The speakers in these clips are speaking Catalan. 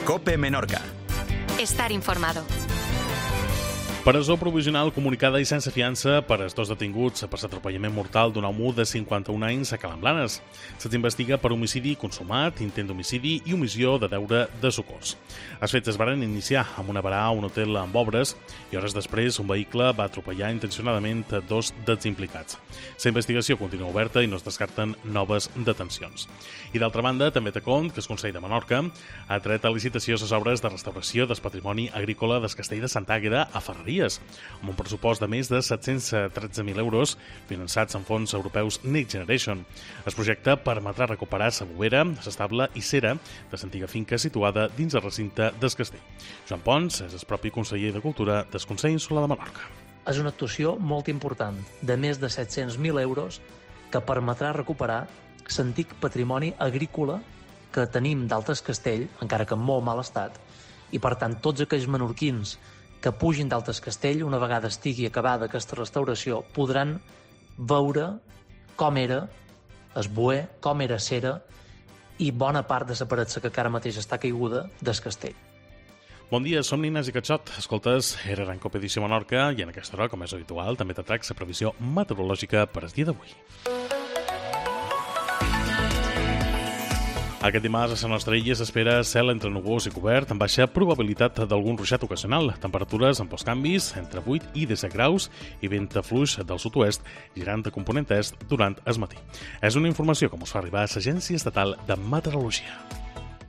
COPE Menorca. Estar informado. Presó provisional comunicada i sense fiança per als dos detinguts per l'atropellament mortal d'un home de 51 anys a Calamblanes. Se'ls investiga per homicidi consumat, intent d'homicidi i omissió de deure de socors. Els fets es varen iniciar amb una barà a un hotel amb obres i hores després un vehicle va atropellar intencionadament dos dels implicats. La investigació continua oberta i no es descarten noves detencions. I d'altra banda, també té compte que el Consell de Menorca ha tret a licitació les obres de restauració del patrimoni agrícola del castell de Sant Àgueda a Ferreries, amb un pressupost de més de 713.000 euros finançats amb fons europeus Next Generation. El projecte permetrà recuperar la bovera, l'estable i cera de l'antiga finca situada dins el recinte del castell. Joan Pons és el propi conseller de Cultura del Consell Insular de Menorca. És una actuació molt important, de més de 700.000 euros, que permetrà recuperar l'antic patrimoni agrícola que tenim d'Altes Castell, encara que en molt mal estat, i per tant tots aquells menorquins que pugin d'Altes Castell, una vegada estigui acabada aquesta restauració, podran veure com era el boer, com era cera i bona part de la paret que ara mateix està caiguda del castell. Bon dia, som Nines i Catxot. Escoltes, era en COPE Edició Menorca i en aquesta hora, com és habitual, també t'atrac la previsió meteorològica per al dia d'avui. Aquest dimarts a la nostra illa s'espera cel entre núvols i cobert amb baixa probabilitat d'algun ruixat ocasional. Temperatures amb pocs canvis, entre 8 i 17 graus i vent fluix del sud-oest girant de component est durant el matí. És una informació que ens fa arribar a l'Agència Estatal de Meteorologia.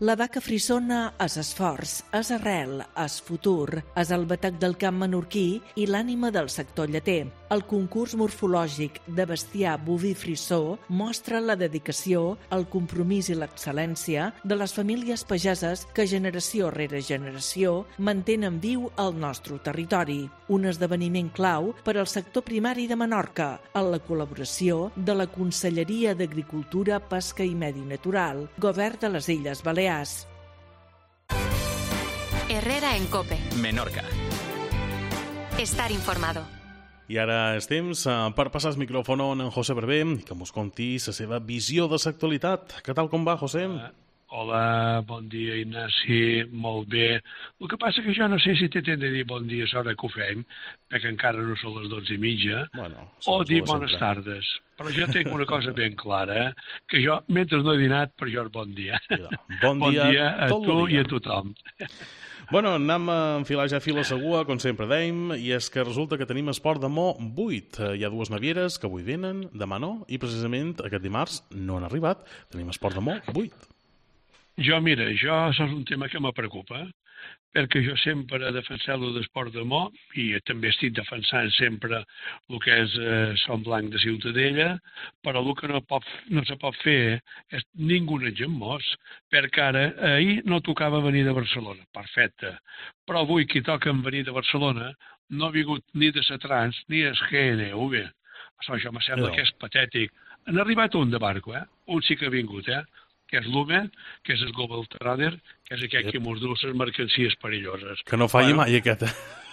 La vaca frissona és esforç, és arrel, és futur, és el batec del camp menorquí i l'ànima del sector lleter. El concurs morfològic de bestiar boví frissó mostra la dedicació, el compromís i l'excel·lència de les famílies pageses que generació rere generació mantenen viu el nostre territori. Un esdeveniment clau per al sector primari de Menorca, en la col·laboració de la Conselleria d'Agricultura, Pesca i Medi Natural, Govern de les Illes Balears. Herrera en COPE. Menorca. Estar informado. I ara és temps per passar el micròfon a en José Berber i que ens conti la seva visió de l'actualitat. Què tal com va, José? Hola, bon dia, Ignasi, molt bé. El que passa que jo no sé si t'he de dir bon dia a l'hora que ho fem, perquè encara no són les 12:30, o dir bones tardes. Però jo tinc una cosa ben clara, que jo, mentre no he dinat, per jo és bon dia. Bon dia a tu i a tothom. Bueno, anem a enfilar ja fil a segua, com sempre dèiem, i és que resulta que tenim esport de Mo 8. Hi ha dues navieres que avui venen, demà no, i precisament aquest dimarts no han arribat. Tenim esport de Mo 8. Mira, això és un tema que me preocupa, perquè jo sempre he defensat l'esport de Mo i també estic defensant sempre el que és Son Blanc de Ciutadella, però el que no se pot fer és ningú en Mos, perquè ara ahir no tocava venir de Barcelona, perfecte, però avui qui toca venir de Barcelona no ha vingut ni de Satrans ni el GNV. Això me sembla que és patètic. Han arribat un de barco, un sí que ha vingut, que és l'UME, que és el Global Trader, que és aquell que mos du les mercancies perilloses. Que no falli mai aquest.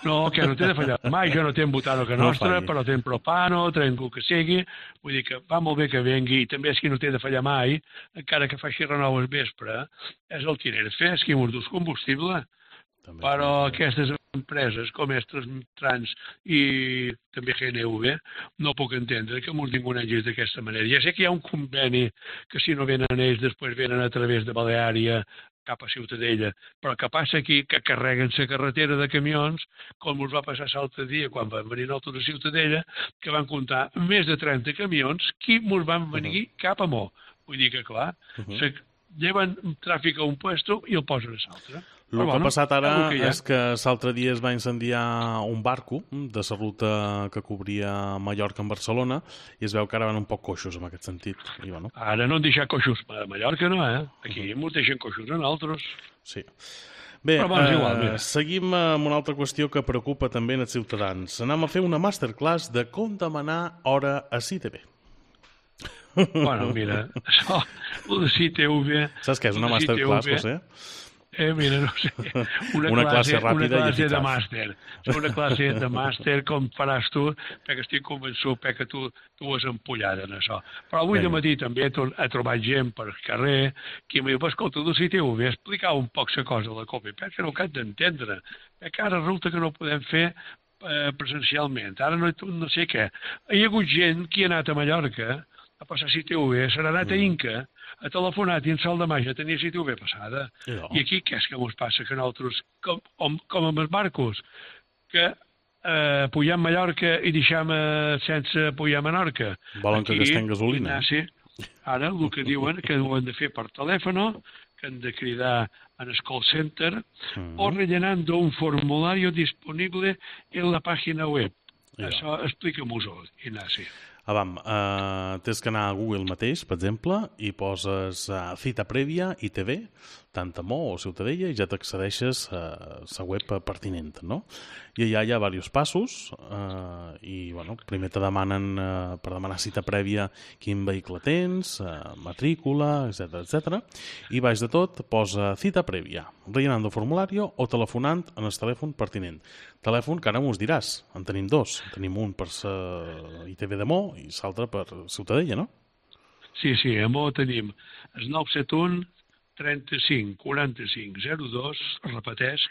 No, que no té de fallar mai, jo no tenc butano que nostra, però tenc propano, tenc el que sigui, vull dir que va molt bé que vengui, i també és qui no té de fallar mai, encara que faci renou al vespre, és el Tinerfe, és qui mos du el combustible. Però aquestes empreses com Trans i també GNV no puc entendre que mos vinguin d'aquesta manera. Ja sé que hi ha un conveni que si no venen ells després venen a través de Baleària cap a Ciutadella, però que passa aquí que carreguen la carretera de camions, com us va passar l'altre dia quan van venir nosaltres a Ciutadella, que van comptar més de 30 camions que mos van venir cap a Mo. Vull dir que, clar, lleven tràfic a un puesto i el posen a l'altre. El que ha passat ara és que l'altre dia es va incendiar un barco de la ruta que cobria Mallorca en Barcelona i es veu que ara van un poc coixos en aquest sentit. Ara no han deixat coixos a Mallorca, no, Aquí ens deixen coixos a nosaltres. Sí. Bé, seguim amb una altra qüestió que preocupa també els ciutadans. Anem a fer una masterclass de com demanar hora a CITV. Bueno, mira, això, el de CITV... Saps què és una masterclass, José? Mira, no sé, Una classe ràpida i eficaç. De màster. Una classe de màster com faràs tu, perquè estic convençut que tu ho has empullat en això. Però avui de matí també he trobat gent per carrer que em diu, escolta, tu si t'ho ve explicar un poc la cosa de la COPE, perquè no ho has d'entendre, perquè ara resulta que no ho podem fer presencialment, ara no sé què. Hi ha hagut gent que ha anat a Mallorca a passar CTV, s'ha anat a Inca, ha telefonat i en Sal de Màgia tenia CTV passada. I aquí què és que ens passa? Que nosaltres, com amb els barcos, que pugem a Mallorca i deixem sense pujar a Menorca. Volen que gastem gasolina. Ara el que diuen que ho han de fer per telèfon, que han de cridar en el call center o rellenando un formulario disponible en la pàgina web. Això explica-m'ho-ho, Ignasi. Tens que anar a Google mateix, per exemple, i poses cita prèvia ITV, tant a Mo o Ciutadella, i ja t'accedeixes a la web pertinent, no? I allà hi ha diversos passos i, bueno, primer te demanen per demanar cita prèvia quin vehicle tens, matrícula, etc. I baix de tot posa cita prèvia, rellenant el formulari o telefonant en el telèfon pertinent. Telèfon que ara m'ho diràs, en tenim dos. Tenim un per ITV de Mo i l'altre per Ciutadella, no? Sí, a Mo tenim el 971 35 45 02, repeteix,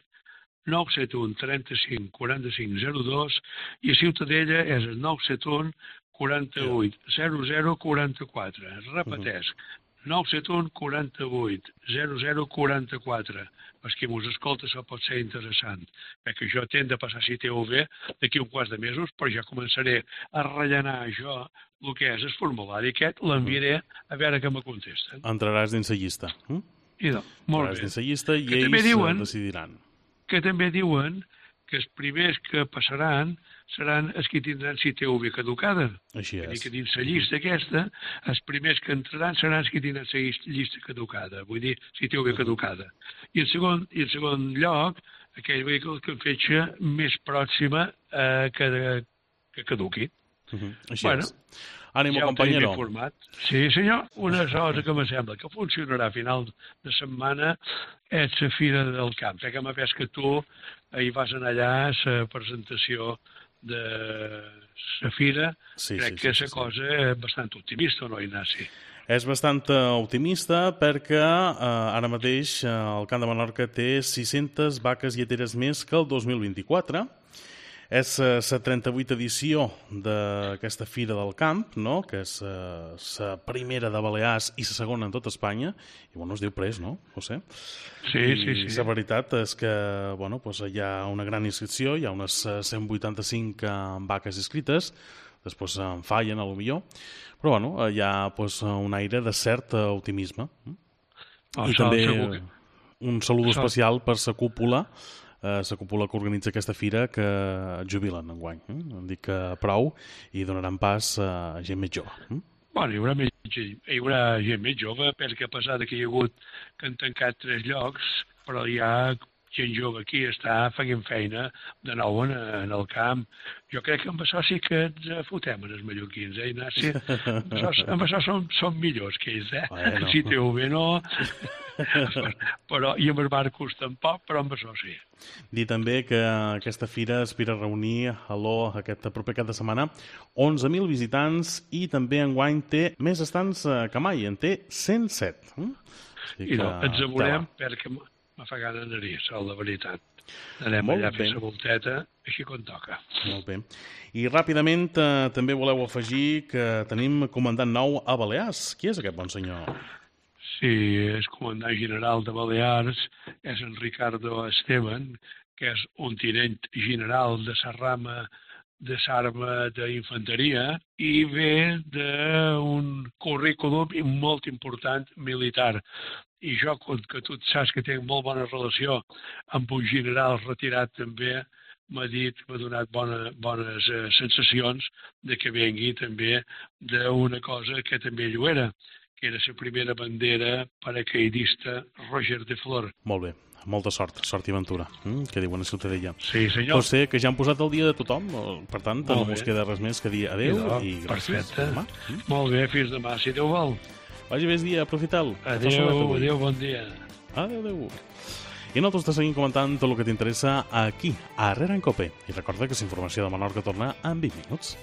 971 35 45 02, i a Ciutadella és el 971 48 00 44. Repeteix, 971 48 00 44. Els que mos escolta això pot ser interessant, perquè jo tenc de passar CTV d'aquí un quart de mesos, però ja començaré a rellenar jo el que és el formulari aquest, l'enviaré a veure què me contesten. Entraràs dins la llista. Molt bé. Dins la llista i ells decidiran. Que també diuen que els primers que passaran seran els que tindran CTV caducada. Així és. Vull dir que dins la llista aquesta, els primers que entraran seran els que tindran la llista caducada, vull dir, CTV caducada. I en segon lloc, aquell vehicle que en fetge més pròxima que caduqui. Així és. Ànimo, compañero. Sí, senyor. Una cosa que me sembla que funcionarà a final de setmana és la Fira del Camp. Que m'ha vist que tu hi vas anar allà a la presentació de la Fira. Crec que és una cosa bastant optimista, no, Ignasi? És bastant optimista perquè ara mateix el Camp de Menorca té 600 vaques lleteres més que el 2024. És la 38a edició d'aquesta Fira del Camp, no? Que és la primera de Balears i la segona en tota Espanya. I, bueno, es diu pres, no, José? Sí. I la veritat és que, bueno, pues hi ha una gran inscripció, hi ha unes 185 vaques inscrites, després en fallen, potser, però, bueno, hi ha pues, un aire de cert optimisme. I també un salut especial per la cúpula, la cúpula que organitza aquesta fira, que jubilen enguany. Em dic que prou i donaran pas a gent més jove. Bueno, hi haurà gent més jove, perquè a pesar que hi ha hagut que han tancat 3 llocs, però hi ha gent jove aquí està fent feina de nou en el camp. Jo crec que amb això sí que ens fotem en els mallorquins, Ignasi? Amb això som millors que ells, Bueno. Si TV no, però, i amb els barcos tampoc, però amb això sí. Dir també que aquesta fira aspira a reunir aquest proper cap de setmana 11.000 visitants i també enguany té més estants que mai, en té 107. I no, ens veurem perquè me fa gana d'anar-hi, la veritat. Anem allà a fer la volteta, així com toca. Molt bé. I ràpidament també voleu afegir que tenim comandant nou a Balears. Qui és aquest bon senyor? Sí, és comandant general de Balears, és en Ricardo Esteban, que és un tinent general de la rama de l'arma d'infanteria i ve d'un currículum molt important militar. I jo, que tu saps que tinc molt bona relació amb un general retirat també, m'ha donat bones sensacions de que vengui també d'una cosa que també ell era, que era la primera bandera paracaidista Roger de Flor. Molt bé. Molta sort i aventura, que diuen a Ciutadella. Sí, senyor. José, que ja han posat el dia de tothom, per tant, no us queda res més que dir adeu i gràcies. Perfecte. Molt bé, fins demà, si Déu vol. Vagi bé el dia, aprofiteu. Adéu, bon dia. Adéu. I nosaltres te seguim comentant tot el que t'interessa aquí, a Herrera en Cope. I recorda que la informació de Menorca torna en 20 minuts.